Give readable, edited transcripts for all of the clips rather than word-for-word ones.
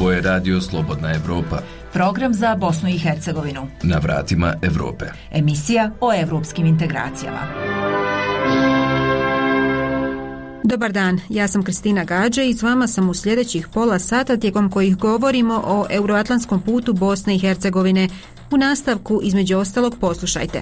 Ovo je Radio Slobodna Evropa. Program za Bosnu i Hercegovinu. Na vratima Evrope. Emisija o evropskim integracijama. Dobar dan, ja sam Kristina Gađe i s vama sam u sljedećih pola sata tijekom kojih govorimo o euroatlantskom putu Bosne i Hercegovine. U nastavku, između ostalog, poslušajte.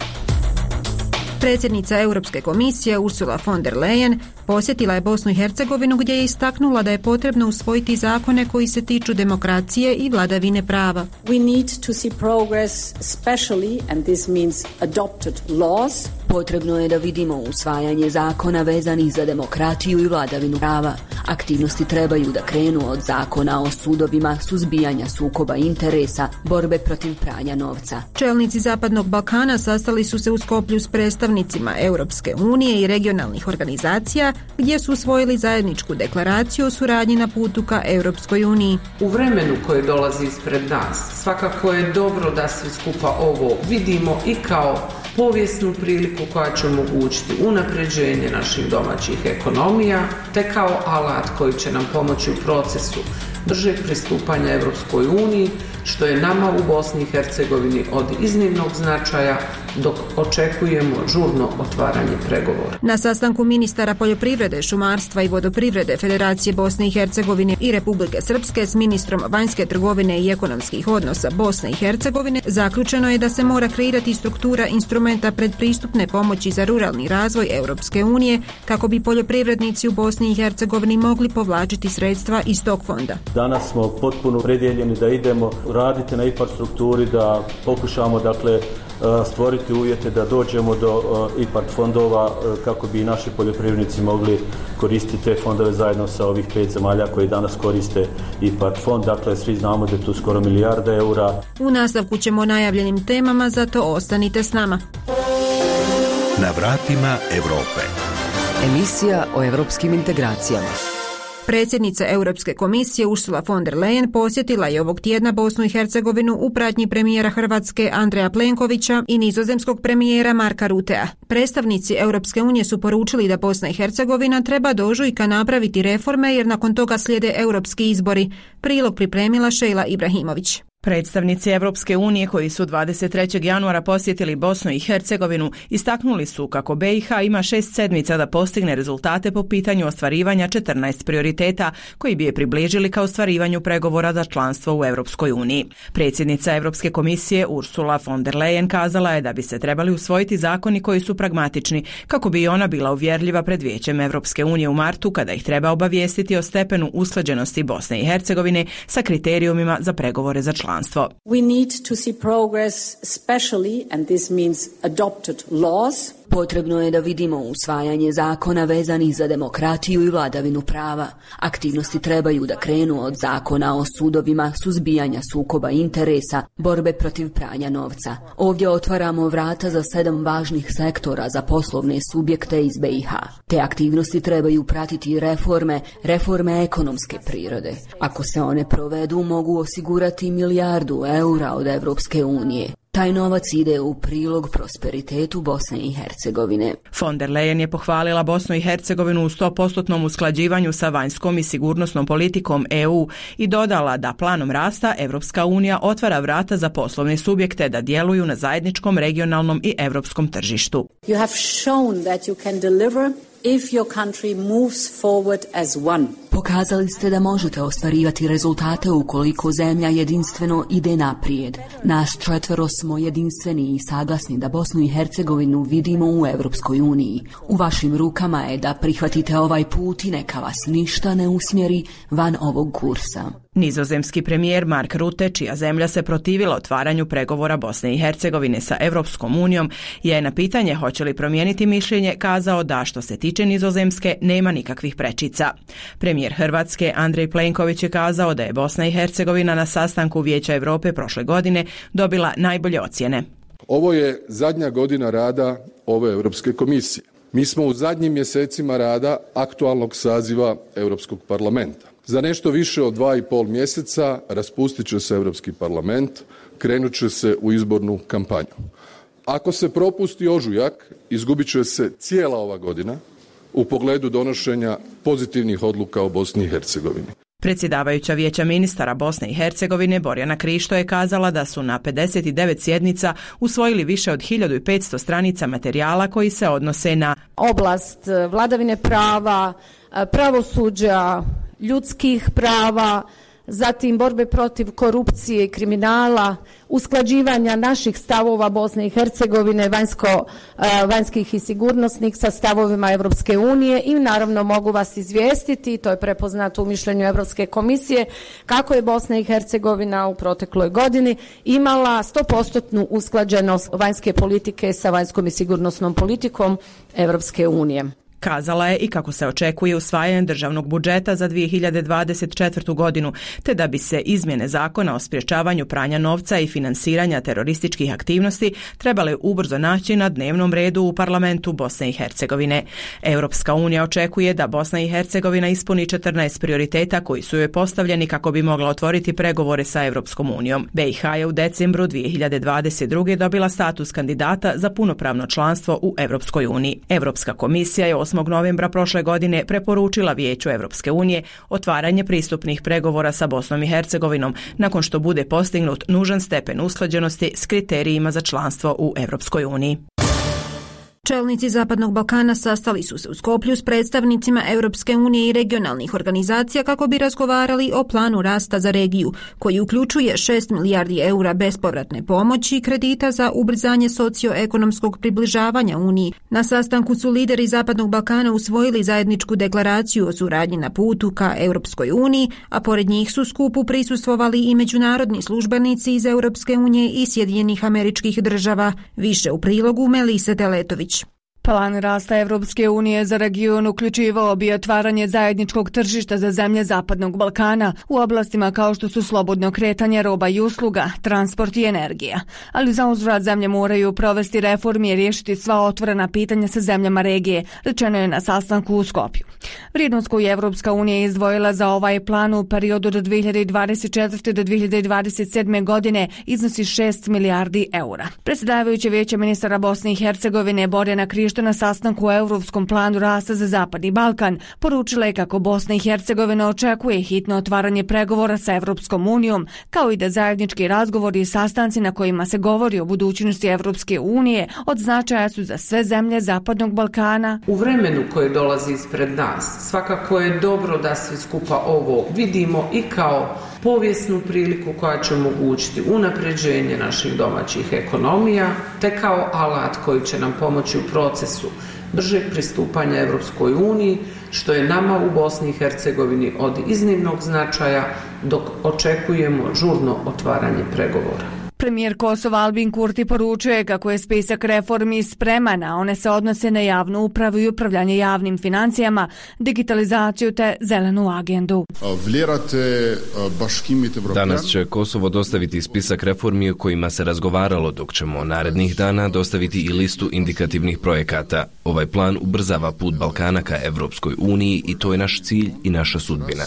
Predsjednica Europske komisije Ursula von der Leyen posjetila je Bosnu i Hercegovinu gdje je istaknula da je potrebno usvojiti zakone koji se tiču demokracije i vladavine prava. We need to see progress, especially, and this means adopted laws. Potrebno je da vidimo usvajanje zakona vezanih za demokratiju i vladavinu prava. Aktivnosti trebaju da krenu od zakona o sudovima, suzbijanja sukoba interesa, borbe protiv pranja novca. Čelnici Zapadnog Balkana sastali su se u Skoplju s predstavnicima Europske unije i regionalnih organizacija gdje su usvojili zajedničku deklaraciju o suradnji na putu ka Europskoj uniji. U vremenu koje dolazi ispred nas, svakako je dobro da svi skupa ovo vidimo i kao povijesnu priliku koja će omogućiti unapređenje naših domaćih ekonomija, te kao alat koji će nam pomoći u procesu bržeg pristupanja Europskoj uniji, što je nama u Bosni i Hercegovini od iznimnog značaja, dok očekujemo žurno otvaranje pregovora. Na sastanku ministara poljoprivrede, šumarstva i vodoprivrede Federacije Bosne i Hercegovine i Republike Srpske s ministrom vanjske trgovine i ekonomskih odnosa Bosne i Hercegovine zaključeno je da se mora kreirati struktura instrumenta predpristupne pomoći za ruralni razvoj Europske unije kako bi poljoprivrednici u Bosni i Hercegovini mogli povlačiti sredstva iz tog fonda. Danas smo potpuno opredjeljeni da idemo raditi na IPARD strukturi, da pokušamo stvoriti uvjete da dođemo do IPARD fondova kako bi naši poljoprivrednici mogli koristiti te fondove zajedno sa ovih 5 zemalja koji danas koriste IPARD fond. Dakle, svi znamo da je tu skoro milijarda eura. U nastavku ćemo o najavljenim temama, zato ostanite s nama. Na vratima Evrope. Emisija o evropskim integracijama. Predsjednica Europske komisije Ursula von der Leyen posjetila je ovog tjedna Bosnu i Hercegovinu u pratnji premijera Hrvatske Andreja Plenkovića i nizozemskog premijera Marka Rutea. Predstavnici Europske unije su poručili da Bosna i Hercegovina treba do ožujka napraviti reforme jer nakon toga slijede europski izbori. Prilog pripremila Šejla Ibrahimović. Predstavnici Evropske unije koji su 23. januara posjetili Bosnu i Hercegovinu istaknuli su kako BiH ima 6 sedmica da postigne rezultate po pitanju ostvarivanja 14 prioriteta koji bi je približili ka ostvarivanju pregovora za članstvo u Europskoj uniji. Predsjednica Europske komisije Ursula von der Leyen kazala je da bi se trebali usvojiti zakoni koji su pragmatični kako bi ona bila uvjerljiva pred Vijećem Europske unije u martu kada ih treba obavijestiti o stepenu usklađenosti Bosne i Hercegovine sa kriterijumima za pregovore za članstvo. We need to see progress, especially, and this means adopted laws. Potrebno je da vidimo usvajanje zakona vezanih za demokratiju i vladavinu prava. Aktivnosti trebaju da krenu od zakona o sudovima, suzbijanja sukoba interesa, borbe protiv pranja novca. Ovdje otvaramo vrata za 7 važnih sektora za poslovne subjekte iz BiH. Te aktivnosti trebaju pratiti reforme ekonomske prirode. Ako se one provedu, mogu osigurati milijardu eura od Europske unije. Taj novac ide u prilog prosperitetu Bosne i Hercegovine. Von der Leyen je pohvalila Bosnu i Hercegovinu u 100% usklađivanju sa vanjskom i sigurnosnom politikom EU i dodala da planom rasta Evropska unija otvara vrata za poslovne subjekte da djeluju na zajedničkom regionalnom i europskom tržištu. You have shown that you can deliver if your country moves forward as one. Pokazali ste da možete ostvarivati rezultate ukoliko zemlja jedinstveno ide naprijed. Nas 4 smo jedinstveni i saglasni da Bosnu i Hercegovinu vidimo u Europskoj uniji. U vašim rukama je da prihvatite ovaj put i neka vas ništa ne usmjeri van ovog kursa. Nizozemski premijer Mark Rutte, čija zemlja se protivila otvaranju pregovora Bosne i Hercegovine sa Europskom unijom, je na pitanje hoće li promijeniti mišljenje kazao da što se tiče Nizozemske nema nikakvih prečica. Premijer Hrvatske Andrej Plenković je kazao da je Bosna i Hercegovina na sastanku Vijeća Europe prošle godine dobila najbolje ocjene. Ovo je zadnja godina rada ove Europske komisije. Mi smo u zadnjim mjesecima rada aktualnog saziva Europskog parlamenta. Za nešto više od 2,5 mjeseca raspustit će se Europski parlament, krenut će se u izbornu kampanju. Ako se propusti ožujak, izgubit će se cijela ova godina u pogledu donošenja pozitivnih odluka o Bosni i Hercegovini. Predsjedavajuća Vijeća ministara Bosne i Hercegovine Borjana Krišto je kazala da su na 59 sjednica usvojili više od 1500 stranica materijala koji se odnose na oblast vladavine prava, pravosuđa, ljudskih prava, zatim borbe protiv korupcije i kriminala, usklađivanja naših stavova Bosne i Hercegovine, vanjskih i sigurnosnih sa stavovima Europske unije i naravno mogu vas izvijestiti, to je prepoznato u mišljenju Europske komisije, kako je Bosna i Hercegovina u protekloj godini imala 100% usklađenost vanjske politike sa vanjskom i sigurnosnom politikom Europske unije. Kazala je i kako se očekuje usvajanje državnog budžeta za 2024. godinu, te da bi se izmjene zakona o sprječavanju pranja novca i finansiranja terorističkih aktivnosti trebale ubrzo naći na dnevnom redu u parlamentu Bosne i Hercegovine. Europska unija očekuje da Bosna i Hercegovina ispuni 14 prioriteta koji su joj postavljeni kako bi mogla otvoriti pregovore sa Europskom unijom. BiH je u decembru 2022. dobila status kandidata za punopravno članstvo u Europskoj uniji. Europska komisija je 8. novembra prošle godine preporučila Vijeću Europske unije otvaranje pristupnih pregovora sa Bosnom i Hercegovinom nakon što bude postignut nužan stepen usklađenosti s kriterijima za članstvo u Europskoj uniji. Čelnici Zapadnog Balkana sastali su se u Skoplju s predstavnicima Europske unije i regionalnih organizacija kako bi razgovarali o planu rasta za regiju, koji uključuje 6 milijardi eura bespovratne pomoći i kredita za ubrzanje socioekonomskog približavanja Uniji. Na sastanku su lideri Zapadnog Balkana usvojili zajedničku deklaraciju o suradnji na putu ka Europskoj uniji, a pored njih su skupu prisustvovali i međunarodni službenici iz Europske unije i Sjedinjenih Američkih Država. Više u prilogu Melise Teletović. Plan rasta Evropske unije za region uključivao bi otvaranje zajedničkog tržišta za zemlje Zapadnog Balkana u oblastima kao što su slobodno kretanje roba i usluga, transport i energija. Ali za uzvrat zemlje moraju provesti reformi i riješiti sva otvorena pitanja sa zemljama regije, rečeno je na sastanku u Skopju. Vrijednost koju je Evropska unija izdvojila za ovaj plan u periodu do 2024. do 2027. godine iznosi 6 milijardi eura. Predsjedavajuće Vijeće ministara Bosne i Hercegovine Borjana Krišto na sastanku o Europskom planu rasta za Zapadni Balkan poručila je kako Bosna i Hercegovina očekuje hitno otvaranje pregovora sa Europskom unijom, kao i da zajednički razgovori i sastanci na kojima se govori o budućnosti Europske unije od značaja su za sve zemlje Zapadnog Balkana. U vremenu koje dolazi ispred nas, svakako je dobro da svi skupa ovo vidimo i kao povijesnu priliku koja će omogućiti unapređenje naših domaćih ekonomija, te kao alat koji će nam pomoći u procesu bržeg pristupanja Europskoj uniji, što je nama u Bosni i Hercegovini od iznimnog značaja dok očekujemo žurno otvaranje pregovora. Premijer Kosova Albin Kurti poručuje kako je spisak reformi spreman, a one se odnose na javnu upravu i upravljanje javnim financijama, digitalizaciju te zelenu agendu. Danas će Kosovo dostaviti spisak reformi o kojima se razgovaralo, dok ćemo narednih dana dostaviti i listu indikativnih projekata. Ovaj plan ubrzava put Balkana ka Evropskoj uniji i to je naš cilj i naša sudbina.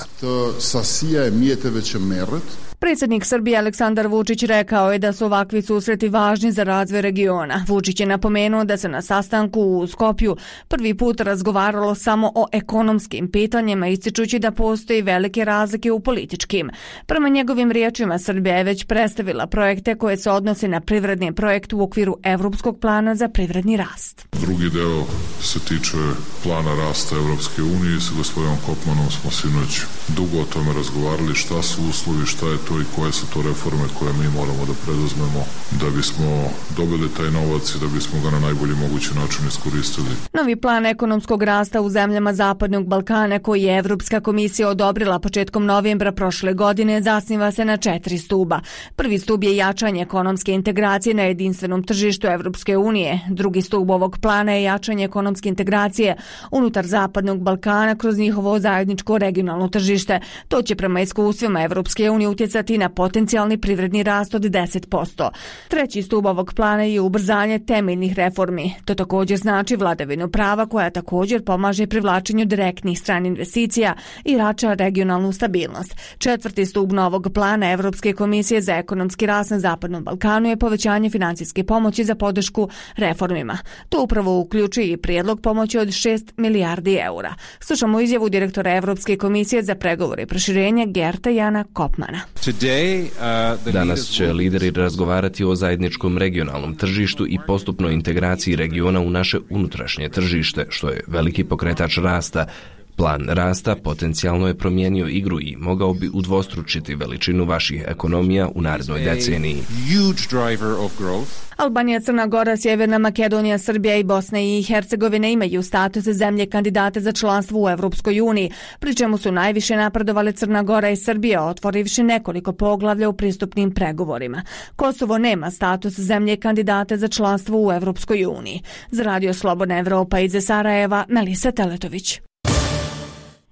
Predsjednik Srbije Aleksandar Vučić rekao je da su ovakvi susreti važni za razvoj regiona. Vučić je napomenuo da se na sastanku u Skopju prvi put razgovaralo samo o ekonomskim pitanjima, ističući da postoji velike razlike u političkim. Prema njegovim riječima, Srbija je već predstavila projekte koje se odnose na privredni projekt u okviru Evropskog plana za privredni rast. Drugi deo se tiče plana rasta Evropske unije. Sa gospodinom Kopmanom smo sinoć dugo o tome razgovarali, šta su uslovi, šta je to i koje su to reforme koje mi moramo da preduzmemo da bismo dobili taj novac i da bismo ga na najbolji mogući način iskoristili. Novi plan ekonomskog rasta u zemljama Zapadnog Balkana koji je Evropska komisija odobrila početkom novembra prošle godine zasniva se na 4 stuba. Prvi stub je jačanje ekonomske integracije na jedinstvenom tržištu Evropske unije. Drugi stub ovog plana je jačanje ekonomske integracije unutar Zapadnog Balkana kroz njihovo zajedničko regionalno tržište. To će prema iskustvima Evropske unije utjecati utjecati na potencijalni privredni rast od 10%. Treći stup ovog plana je ubrzanje temeljnih reformi. To također znači vladavinu prava koja također pomaže privlačenju direktnih stranih investicija i jača regionalnu stabilnost. Četvrti stup novog plana Evropske komisije za ekonomski rast na Zapadnom Balkanu je povećanje financijske pomoći za podršku reformima. To upravo uključuje i prijedlog pomoći od 6 milijardi eura. Slušamo izjavu direktora Evropske komisije za pregovore i proširenje Gerta Jana Kopmana. Danas će lideri razgovarati o zajedničkom regionalnom tržištu i postupnoj integraciji regiona u naše unutrašnje tržište, što je veliki pokretač rasta. Plan rasta potencijalno je promijenio igru i mogao bi udvostručiti veličinu vaših ekonomija u narednoj deceniji. Albanija, Crna Gora, Sjeverna Makedonija, Srbija i Bosna i Hercegovina imaju status zemlje kandidate za članstvo u Evropskoj uniji, pri čemu su najviše napredovale Crna Gora i Srbija, otvorivši nekoliko poglavlja u pristupnim pregovorima. Kosovo nema status zemlje kandidate za članstvo u Evropskoj uniji. Za Radio Slobodna Evropa iz Sarajeva, Melisa Teletović.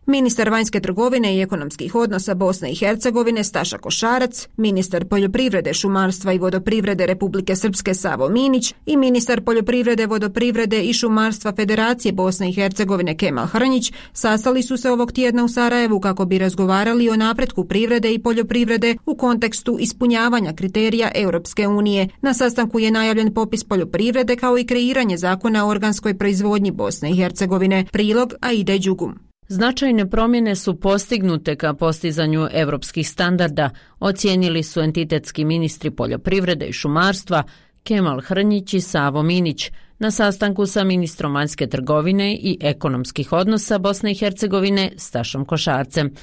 Ministar vanjske trgovine i ekonomskih odnosa Bosne i Hercegovine Staša Košarac, ministar poljoprivrede, šumarstva i vodoprivrede Republike Srpske Savo Minić i ministar poljoprivrede, vodoprivrede i šumarstva Federacije Bosne i Hercegovine Kemal Hrnjić sastali su se ovog tjedna u Sarajevu kako bi razgovarali o napretku privrede i poljoprivrede u kontekstu ispunjavanja kriterija Europske unije. Na sastanku je najavljen popis poljoprivrede kao i kreiranje zakona o organskoj proizvodnji Bosne i Hercegovine. Prilog Aide Đugum. Značajne promjene su postignute ka postizanju europskih standarda, ocijenili su entitetski ministri poljoprivrede i šumarstva Kemal Hrnjić i Savo Minić na sastanku sa ministrom vanjske trgovine i ekonomskih odnosa Bosne i Hercegovine Stašom Košarcem.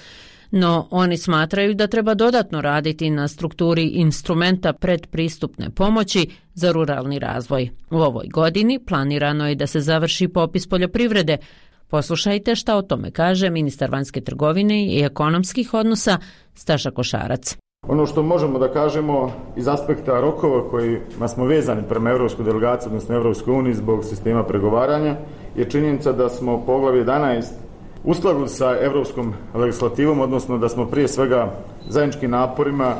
No, oni smatraju da treba dodatno raditi na strukturi instrumenta predpristupne pomoći za ruralni razvoj. U ovoj godini planirano je da se završi popis poljoprivrede. Poslušajte šta o tome kaže ministar vanjske trgovine i ekonomskih odnosa Staša Košarac. Ono što možemo da kažemo iz aspekta rokova kojima smo vezani prema Evropskoj delegaciji, odnosno Evropskoj uniji zbog sistema pregovaranja, je činjenica da smo poglavlje 11 uskladili sa evropskom legislativom, odnosno da smo prije svega zajedničkim naporima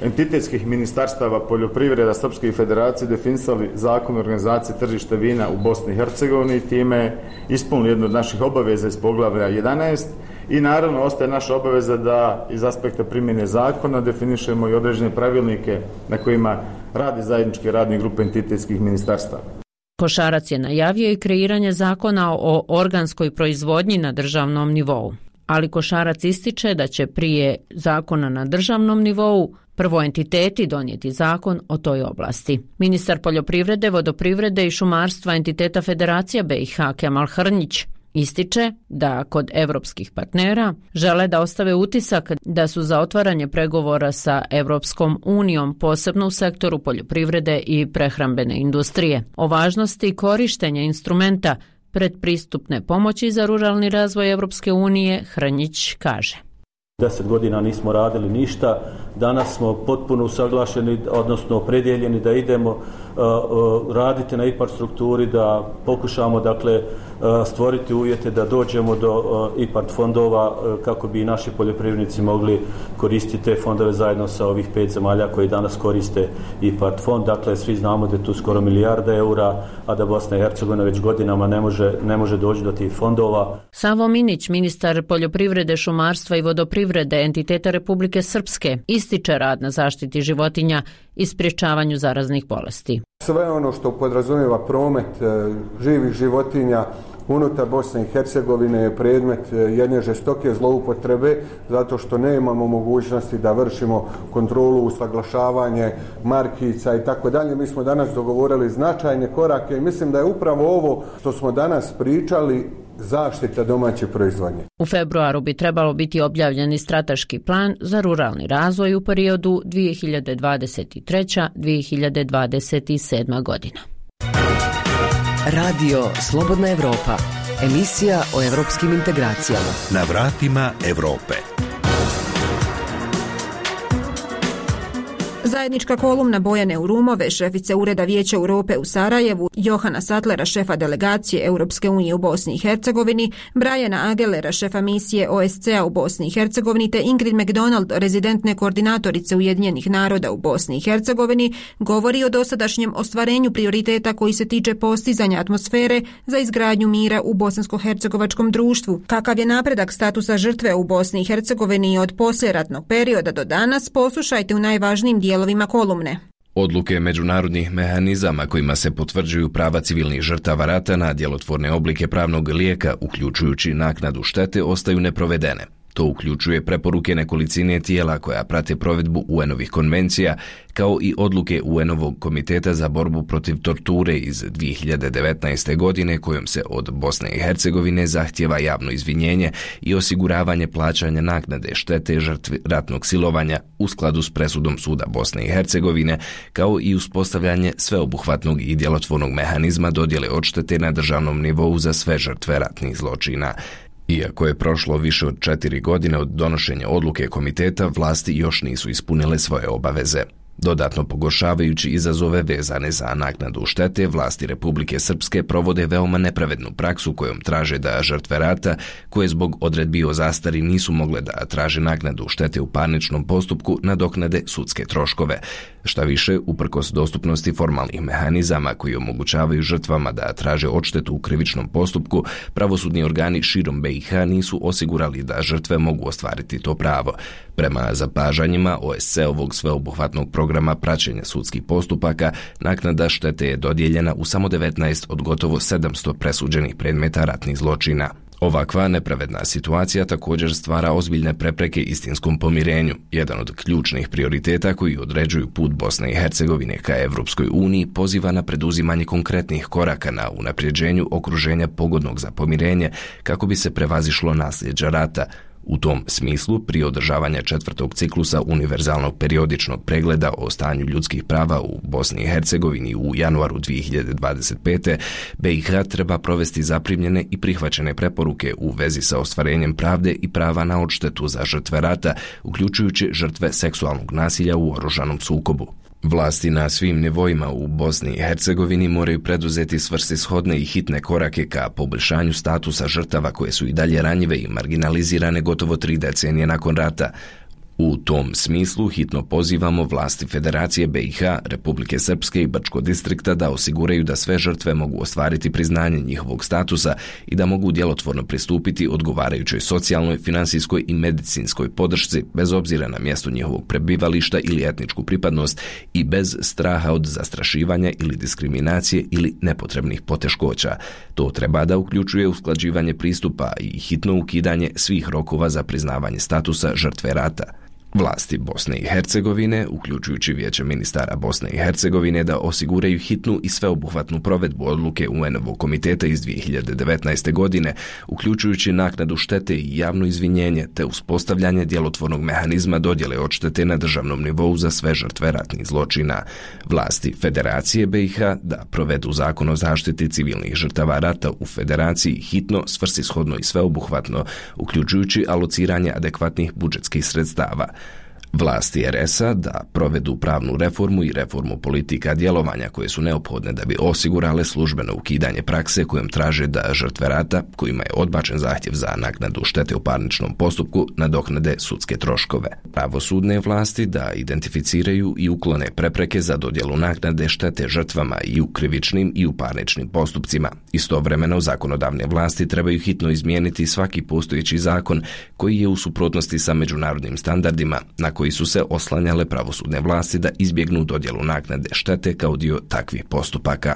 entitetskih ministarstava poljoprivreda Srpske i Federacije definisali zakon o organizaciji tržišta vina u Bosni i Hercegovini i time ispunili jednu od naših obaveza iz poglavlja 11 i naravno ostaje naša obaveza da iz aspekta primjene zakona definišemo i određene pravilnike na kojima radi zajedničke radne grupe entitetskih ministarstava. Košarac je najavio i kreiranje zakona o organskoj proizvodnji na državnom nivou. Ali Košarac ističe da će prije zakona na državnom nivou prvo entiteti donijeti zakon o toj oblasti. Ministar poljoprivrede, vodoprivrede i šumarstva entiteta Federacija BiH Kemal Hrnjić ističe da kod evropskih partnera žele da ostave utisak da su za otvaranje pregovora sa Evropskom unijom, posebno u sektoru poljoprivrede i prehrambene industrije. O važnosti korištenja instrumenta predpristupne pomoći za ruralni razvoj Evropske unije Hrnjić kaže. 10 godina nismo radili ništa, danas smo potpuno usaglašeni, odnosno opredjeljeni da idemo raditi na IPARD strukturi, da pokušamo stvoriti uvjete da dođemo do IPARD fondova kako bi naši poljoprivrednici mogli koristiti te fondove zajedno sa ovih 5 zemalja koji danas koriste IPARD fond. Dakle, svi znamo da je tu skoro milijarda eura, a da Bosna i Hercegovina već godinama ne može doći do tih fondova. Savo Minić, ministar poljoprivrede, šumarstva i vodoprivrede entiteta Republike Srpske, ističe rad na zaštiti životinja i sprječavanju zaraznih bolesti. Sve ono što podrazumijeva promet živih životinja unutar Bosne i Hercegovine je predmet jedne žestoke zloupotrebe zato što nemamo mogućnosti da vršimo kontrolu, usaglašavanje markica i tako dalje. Mi smo danas dogovorili značajne korake i mislim da je upravo ovo što smo danas pričali zaštita domaće proizvodnje. U februaru bi trebalo biti objavljeni strateški plan za ruralni razvoj u periodu 2023-2027 godina. Radio Slobodna Evropa, emisija o evropskim integracijama. Na vratima Evrope. Zajednička kolumna Bojane Urumove, šefice Ureda Vijeća Europe u Sarajevu, Johana Satlera, šefa delegacije Europske unije u Bosni i Hercegovini, Briana Agelera, šefa misije OSCE-a u Bosni i Hercegovini, te Ingrid McDonald, rezidentne koordinatorice Ujedinjenih naroda u Bosni i Hercegovini, govori o dosadašnjem ostvarenju prioriteta koji se tiče postizanja atmosfere za izgradnju mira u bosansko-hercegovačkom društvu. Kakav je napredak statusa žrtve u Bosni i Hercegovini od poslijeratnog perioda do danas, poslušajte u najvažnijim dijelovima kolumne. Odluke međunarodnih mehanizama kojima se potvrđuju prava civilnih žrtava rata na djelotvorne oblike pravnog lijeka, uključujući naknadu štete, ostaju neprovedene. To uključuje preporuke nekolicine tijela koja prate provedbu UN-ovih konvencija, kao i odluke UN-ovog komiteta za borbu protiv torture iz 2019. godine kojom se od Bosne i Hercegovine zahtjeva javno izvinjenje i osiguravanje plaćanja naknade štete žrtvi ratnog silovanja u skladu s presudom Suda Bosne i Hercegovine, kao i uspostavljanje sveobuhvatnog i djelotvornog mehanizma dodjele odštete na državnom nivou za sve žrtve ratnih zločina. Iako je prošlo više od 4 godine od donošenja odluke komiteta, vlasti još nisu ispunile svoje obaveze. Dodatno pogoršavajući izazove vezane za naknadu štete, vlasti Republike Srpske provode veoma nepravednu praksu kojom traže da žrtve rata, koje zbog odredbi o zastari nisu mogle da traže naknadu štete u parničnom postupku, nadoknade sudske troškove. Šta više, uprkos dostupnosti formalnih mehanizama koji omogućavaju žrtvama da traže odštetu u krivičnom postupku, pravosudni organi širom BiH nisu osigurali da žrtve mogu ostvariti to pravo. Prema zapažanjima OSCE-ovog sveobuhvatnog programa praćenja sudskih postupaka, naknada štete je dodijeljena u samo 19 od gotovo 700 presuđenih predmeta ratnih zločina. Ovakva nepravedna situacija također stvara ozbiljne prepreke istinskom pomirenju. Jedan od ključnih prioriteta koji određuju put Bosne i Hercegovine ka Evropskoj uniji poziva na preduzimanje konkretnih koraka na unapređenju okruženja pogodnog za pomirenje kako bi se prevazišlo nasljeđa rata. U tom smislu, prije održavanja 4. ciklusa univerzalnog periodičnog pregleda o stanju ljudskih prava u Bosni i Hercegovini u januaru 2025. BiH treba provesti zaprimljene i prihvaćene preporuke u vezi sa ostvarenjem pravde i prava na odštetu za žrtve rata, uključujući žrtve seksualnog nasilja u oružanom sukobu. Vlasti na svim nivoima u Bosni i Hercegovini moraju preduzeti svrsishodne i hitne korake ka poboljšanju statusa žrtava koje su i dalje ranjive i marginalizirane gotovo 3 decenije nakon rata. U tom smislu hitno pozivamo vlasti Federacije BiH, Republike Srpske i Brčkog distrikta da osiguraju da sve žrtve mogu ostvariti priznanje njihovog statusa i da mogu djelotvorno pristupiti odgovarajućoj socijalnoj, finansijskoj i medicinskoj podršci bez obzira na mjesto njihovog prebivališta ili etničku pripadnost i bez straha od zastrašivanja ili diskriminacije ili nepotrebnih poteškoća. To treba da uključuje usklađivanje pristupa i hitno ukidanje svih rokova za priznavanje statusa žrtve rata. Vlasti Bosne i Hercegovine, uključujući Vijeće ministara Bosne i Hercegovine, da osiguraju hitnu i sveobuhvatnu provedbu odluke UN-ovog komiteta iz 2019. godine, uključujući naknadu štete i javno izvinjenje, te uspostavljanje djelotvornog mehanizma dodjele odštete na državnom nivou za sve žrtve ratnih zločina. Vlasti Federacije BiH da provedu zakon o zaštiti civilnih žrtava rata u Federaciji hitno, svrsishodno i sveobuhvatno, uključujući alociranje adekvatnih budžetskih sredstava. Vlasti RS-a da provedu pravnu reformu i reformu politika djelovanja koje su neophodne da bi osigurale službeno ukidanje prakse kojom traže da žrtve rata, kojima je odbačen zahtjev za naknadu štete u parničnom postupku, nadoknade sudske troškove. Pravosudne vlasti da identificiraju i uklone prepreke za dodjelu naknade štete žrtvama i u krivičnim i u parničnim postupcima. Istovremeno, zakonodavne vlasti trebaju hitno izmijeniti svaki postojeći zakon koji je u suprotnosti sa međunarodnim standardima na koji su se oslanjale pravosudne vlasti da izbjegnu dodjelu naknade štete kao dio takvih postupaka.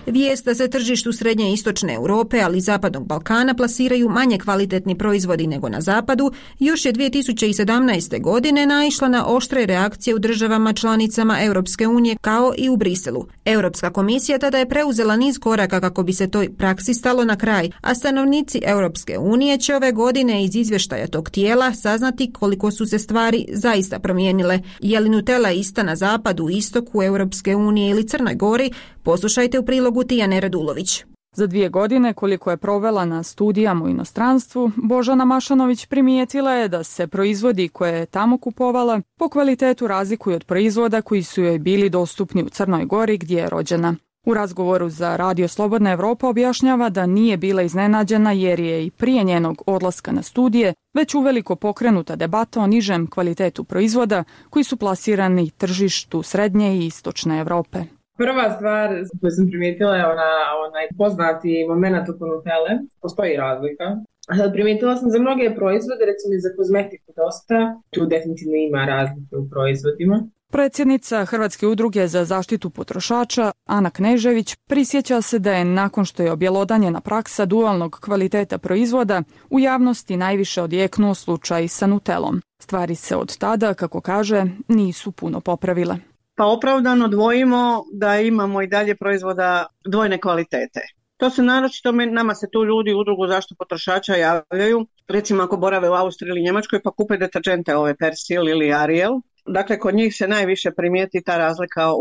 Vijest da se tržištu srednje i istočne Europe, ali i zapadnog Balkana plasiraju manje kvalitetni proizvodi nego na zapadu, još je 2017. godine naišla na oštre reakcije u državama članicama Europske unije kao i u Briselu. Europska komisija tada je preuzela niz koraka kako bi se toj praksi stalo na kraj, a stanovnici Europske unije će ove godine iz izvještaja tog tijela saznati koliko su se stvari zaista promijenile. Je li Nutella ista na zapadu, istoku Europske unije ili Crnoj Gori? Poslušajte u prilogu Tijane Radulović. Za 2 godine koliko je provela na studijama u inostranstvu, Božana Mašanović primijetila je da se proizvodi koje je tamo kupovala po kvalitetu razlikuju od proizvoda koji su joj bili dostupni u Crnoj Gori gdje je rođena. U razgovoru za Radio Slobodna Evropa objašnjava da nije bila iznenađena jer je i prije njenog odlaska na studije već uveliko pokrenuta debata o nižem kvalitetu proizvoda koji su plasirani tržištu Srednje i Istočne Evrope. Prva stvar koju sam primijetila je onaj poznati moment oko Nutelle. Postoji razlika. Primijetila sam za mnoge proizvode, recimo za kozmetiku dosta, tu definitivno ima razlike u proizvodima. Predsjednica Hrvatske udruge za zaštitu potrošača Ana Knežević prisjeća se da je nakon što je objelodanjena praksa dualnog kvaliteta proizvoda u javnosti najviše odjeknuo slučaj sa Nutellom. Stvari se od tada, kako kaže, nisu puno popravile. Pa opravdano dvojimo da imamo i dalje proizvoda dvojne kvalitete. To se naročito, nama se tu ljudi u udrugu zaštitu potrošača javljaju, recimo ako borave u Austriji ili Njemačkoj pa kupe deterđente ove Persil ili Ariel. Dakle, kod njih se najviše primijeti ta razlika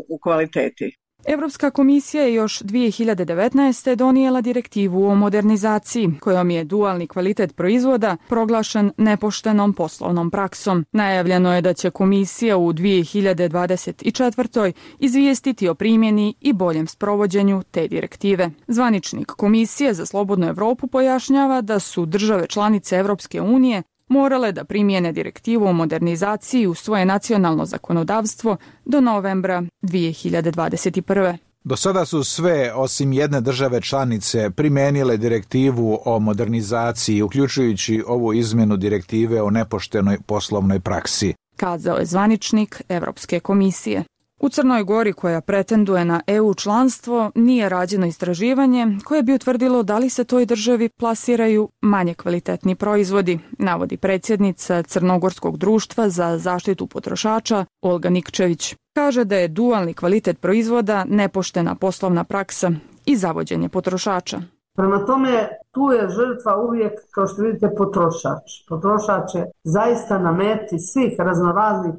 u kvaliteti. Europska komisija je još 2019. donijela direktivu o modernizaciji, kojom je dualni kvalitet proizvoda proglašen nepoštenom poslovnom praksom. Najavljeno je da će komisija u 2024. izvijestiti o primjeni i boljem sprovođenju te direktive. Zvaničnik Komisije za slobodnu Evropu pojašnjava da su države članice Europske unije morale da primijene direktivu o modernizaciji u svoje nacionalno zakonodavstvo do novembra 2021. Do sada su sve, osim jedne države članice, primijenile direktivu o modernizaciji, uključujući ovu izmjenu direktive o nepoštenoj poslovnoj praksi, kazao je zvaničnik Europske komisije. U Crnoj Gori, koja pretenduje na EU članstvo, nije rađeno istraživanje koje bi utvrdilo da li se toj državi plasiraju manje kvalitetni proizvodi, navodi predsjednica Crnogorskog društva za zaštitu potrošača Olga Nikčević. Kaže da je dualni kvalitet proizvoda nepoštena poslovna praksa i zavođenje potrošača. Prema tome, tu je žrtva uvijek, kao što vidite, potrošač. Potrošač je zaista na meti svih raznoraznih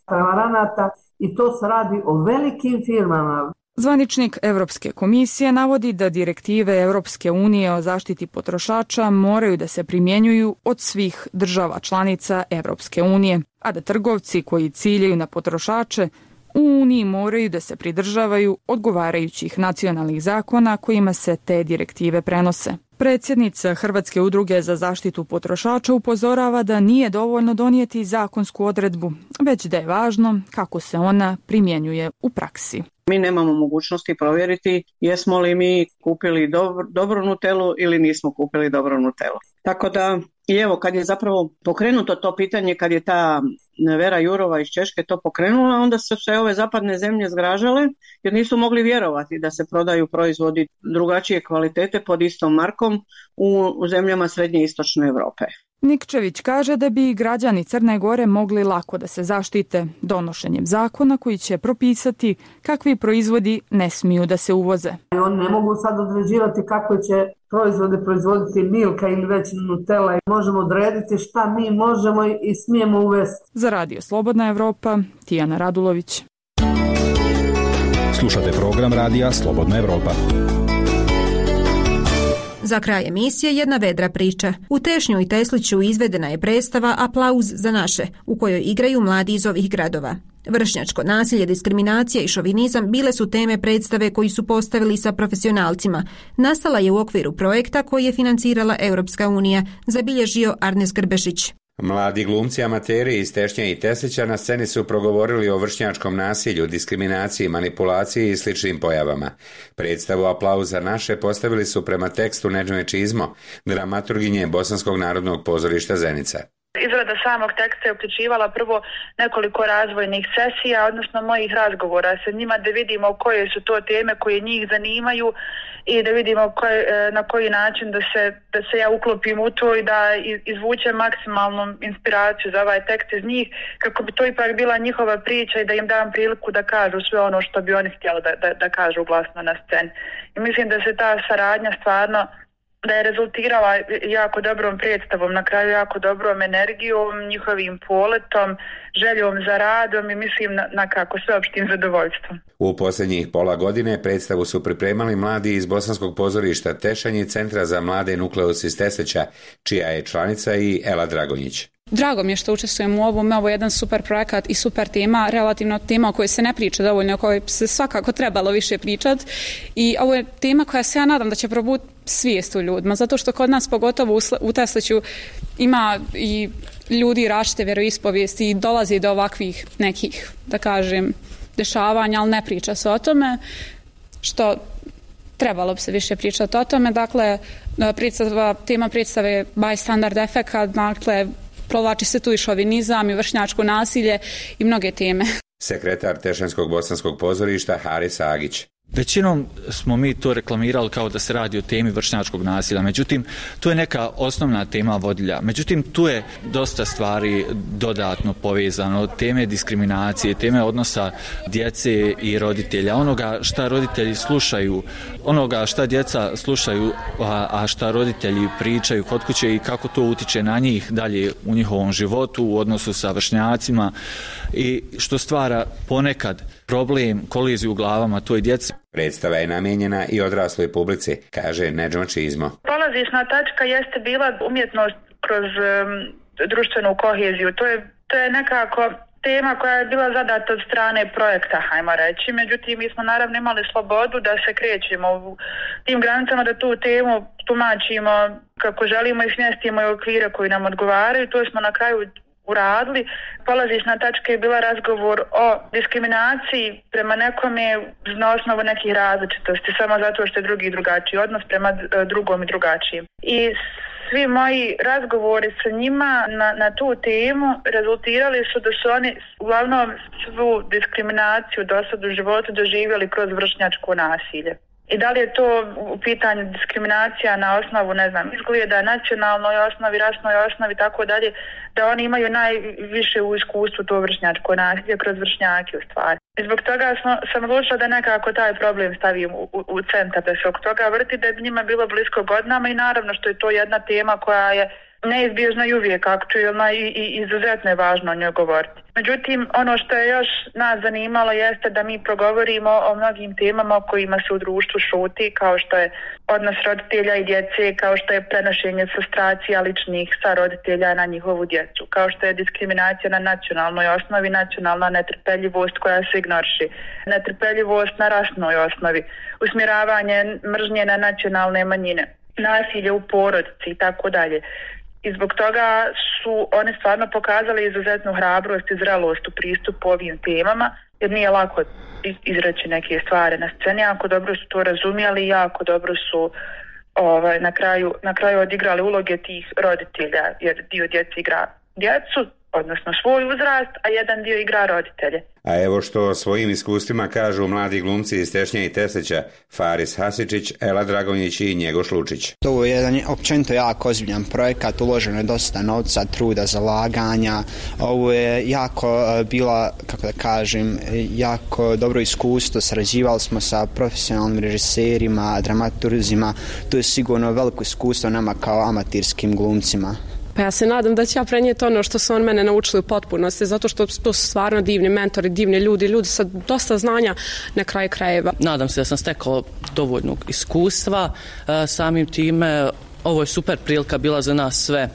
prevaranata i to se radi o velikim firmama. Zvaničnik Europske komisije navodi da direktive Europske unije o zaštiti potrošača moraju da se primjenjuju od svih država članica Europske unije, a da trgovci koji ciljaju na potrošače u Uniji moraju da se pridržavaju odgovarajućih nacionalnih zakona kojima se te direktive prenose. Predsjednica Hrvatske udruge za zaštitu potrošača upozorava da nije dovoljno donijeti zakonsku odredbu, već da je važno kako se ona primjenjuje u praksi. Mi nemamo mogućnosti provjeriti jesmo li mi kupili dobru Nutellu ili nismo kupili dobru Nutellu. Tako da, i evo, kad je zapravo pokrenuto to pitanje, kad je ta Vera Jurova iz Češke to pokrenula, onda su se ove zapadne zemlje zgražale jer nisu mogli vjerovati da se prodaju proizvodi drugačije kvalitete pod istom markom u zemljama Srednje i Istočne Europe. Nikčević kaže da bi građani Crne Gore mogli lako da se zaštite donošenjem zakona koji će propisati kakvi proizvodi ne smiju da se uvoze. Oni ne mogu sad određivati kako će proizvode proizvoditi Milka ili već Nutella. Možemo odrediti šta mi možemo i smijemo uvesti. Za Radio Slobodna Evropa, Tijana Radulović. Slušate program Radija Slobodna Evropa. Za kraj emisije jedna vedra priča. U Tešnju i Tesliću izvedena je predstava Aplauz za naše, u kojoj igraju mladi iz ovih gradova. Vršnjačko nasilje, diskriminacija i šovinizam bile su teme predstave koji su postavili sa profesionalcima. Nastala je u okviru projekta koji je financirala Europska unija, zabilježio Arnes Grbešić. Mladi glumci amateri iz Tešnje i Teslića na sceni su progovorili o vršnjačkom nasilju, diskriminaciji, manipulaciji i sličnim pojavama. Predstavu Aplauz za naše postavili su prema tekstu Nedžme Čizmo, dramaturginje Bosanskog narodnog pozorišta Zenica. Izrada samog teksta je uključivala prvo nekoliko razvojnih sesija, odnosno mojih razgovora sa njima, da vidimo koje su to teme koje njih zanimaju i da vidimo na koji način da se ja uklopim u to i da izvučem maksimalnu inspiraciju za ovaj tekst iz njih, kako bi to ipak bila njihova priča i da im dam priliku da kažu sve ono što bi oni htjeli da kažu glasno na sceni. I mislim da se ta saradnja stvarno da je rezultirala jako dobrom predstavom, na kraju jako dobrom energijom, njihovim poletom, željom za radom i mislim na kako sveopštim zadovoljstvom. U posljednjih pola godine predstavu su pripremali mladi iz Bosanskog pozorišta Tešanj i Centra za mlade Nukleus iz Teseća, čija je članica i Ela Dragonjić. Drago mi je što učestvujem u ovom, ovo je jedan super projekat i super tema, relativno tema o kojoj se ne priča dovoljno, o kojoj se svakako trebalo više pričati i ovo je tema koja se ja nadam da će probuditi svijest u ljudima, zato što kod nas pogotovo u Tesliću ima i ljudi različite vjeroispovijesti i dolazi do ovakvih nekih, da kažem, dešavanja, ali ne priča se o tome, što trebalo bi se više pričati o tome. Dakle, tema predstave je bystander efekat, dakle, provlači se tu i šovinizam i vršnjačko nasilje i mnoge teme. Sekretar Tešanjskog bosanskog pozorišta Haris Agić. Većinom smo mi to reklamirali kao da se radi o temi vršnjačkog nasilja, međutim, tu je neka osnovna tema vodilja. Međutim, tu je dosta stvari dodatno povezano, teme diskriminacije, teme odnosa djece i roditelja, onoga šta roditelji slušaju, onoga šta djeca slušaju, a šta roditelji pričaju kod kuće i kako to utiče na njih dalje u njihovom životu, u odnosu sa vršnjacima i što stvara ponekad problem, koliziju u glavama toj djeci. Predstava je namijenjena i odrasloj publici, kaže Nedžma Čizmo. Polazišna tačka jeste bila umjetnost kroz društvenu koheziju. To je nekako tema koja je bila zadata od strane projekta, hajmo reći. Međutim, mi smo naravno imali slobodu da se krećemo u tim granicama, da tu temu tumačimo kako želimo i smjestimo i okvire koji nam odgovaraju. To smo na kraju uradili. Polazišna tačka je bila razgovor o diskriminaciji prema nekome na osnovu nekih različitosti, samo zato što je drugi drugačiji, odnos prema drugom i drugačijim. I svi moji razgovori sa njima na tu temu rezultirali su da su oni uglavnom svu diskriminaciju do sad u životu doživjeli kroz vršnjačko nasilje. I da li je to u pitanju diskriminacija na osnovu, ne znam, izgleda, nacionalnoj osnovi, rasnoj osnovi, tako dalje, da oni imaju najviše u iskustvu to vršnjačko nasilje kroz vršnjake u stvari. I zbog toga sam odlučila da nekako taj problem stavim u centar, da se oko toga vrti, da je njima bilo blisko godinama i naravno što je to jedna tema koja je neizbježna i uvijek aktualna i izuzetno je važno o njoj govoriti. Međutim, ono što je još nas zanimalo jeste da mi progovorimo o mnogim temama o kojima se u društvu šuti, kao što je odnos roditelja i djece, kao što je prenošenje frustracija ličnih sa roditelja na njihovu djecu, kao što je diskriminacija na nacionalnoj osnovi, nacionalna netrpeljivost koja se ignoriše, netrpeljivost na rasnoj osnovi, usmjeravanje mržnje na nacionalne manjine, nasilje u porodici i tako dalje. I zbog toga su oni stvarno pokazali izuzetnu hrabrost i zrelost u pristupu ovim temama, jer nije lako izreći neke stvari na sceni, jako dobro su to razumjeli i jako dobro su na kraju odigrali uloge tih roditelja, jer dio djece igra djecu, odnosno svoj uzrast, a jedan dio igra roditelje. A evo što svojim iskustvima kažu mladi glumci iz Tešnja i Teslića, Faris Hasičić, Ela Dragonjić i Njegoš Lučić. To je jedan općenito jako ozbiljan projekat, uloženo je dosta novca, truda, zalaganja. Ovo je jako bila, kako da kažem, jako dobro iskustvo, sarađivali smo sa profesionalnim režiserima, dramaturgima, to je sigurno veliko iskustvo nama kao amaterskim glumcima. Pa ja se nadam da će ja prenijeti ono što su on mene naučili u potpunosti, zato što to su stvarno divni mentori, divni ljudi sa dosta znanja na kraju krajeva. Nadam se da sam stekao dovoljnog iskustva, samim time ovo je super prilika bila za nas sve,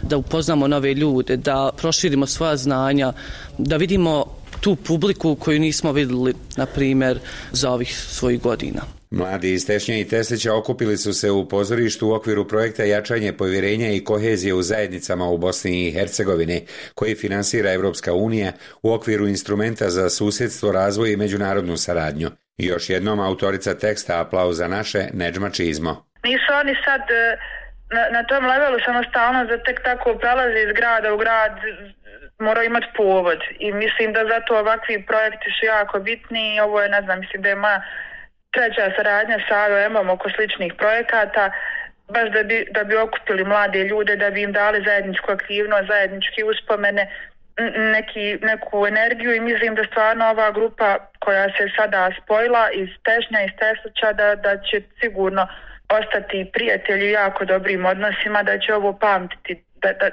da upoznamo nove ljude, da proširimo svoja znanja, da vidimo tu publiku koju nismo vidjeli, na primjer, za ovih svojih godina. Mladi iz Tešnja i Teslića okupili su se u pozorištu u okviru projekta Jačanje povjerenja i kohezije u zajednicama u Bosni i Hercegovini, koji finansira Evropska unija u okviru instrumenta za susjedstvo, razvoj i međunarodnu saradnju. I još jednom autorica teksta Aplauz za naše, Nedžma Čizmo. Nisu oni sad na tom levelu samostalno da tek tako prelaze iz grada u grad, moraju imati povod. I mislim da zato ovakvi projekti su jako bitni i ovo je, ne znam, mislim da je moja treća saradnja sa AOM-om oko sličnih projekata, baš da bi okupili mlade ljude, da bi im dali zajedničku aktivnost, zajedničke uspomene, neku energiju i mislim da stvarno ova grupa koja se sada spojila iz Tešnja, iz Teslića, da će sigurno ostati prijatelji u jako dobrim odnosima, da će ovo pamtiti,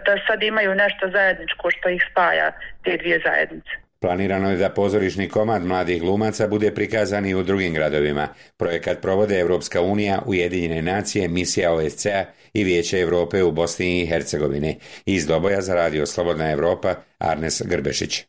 da sad imaju nešto zajedničko što ih spaja, te dvije zajednice. Planirano je da pozorišni komad mladih glumaca bude prikazan i u drugim gradovima. Projekat provode Evropska unija, Ujedinjene nacije, misija OSCE-a i Vijeće Europe u Bosni i Hercegovini. Iz Doboja za Radio Slobodna Evropa, Arnes Grbešić.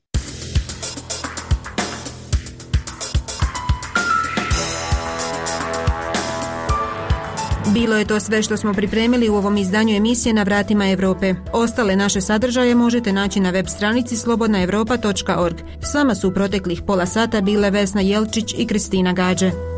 Bilo je to sve što smo pripremili u ovom izdanju emisije Na vratima Europe. Ostale naše sadržaje možete naći na web stranici slobodnaevropa.org. S vama su u proteklih pola sata bile Vesna Jelčić i Kristina Gađe.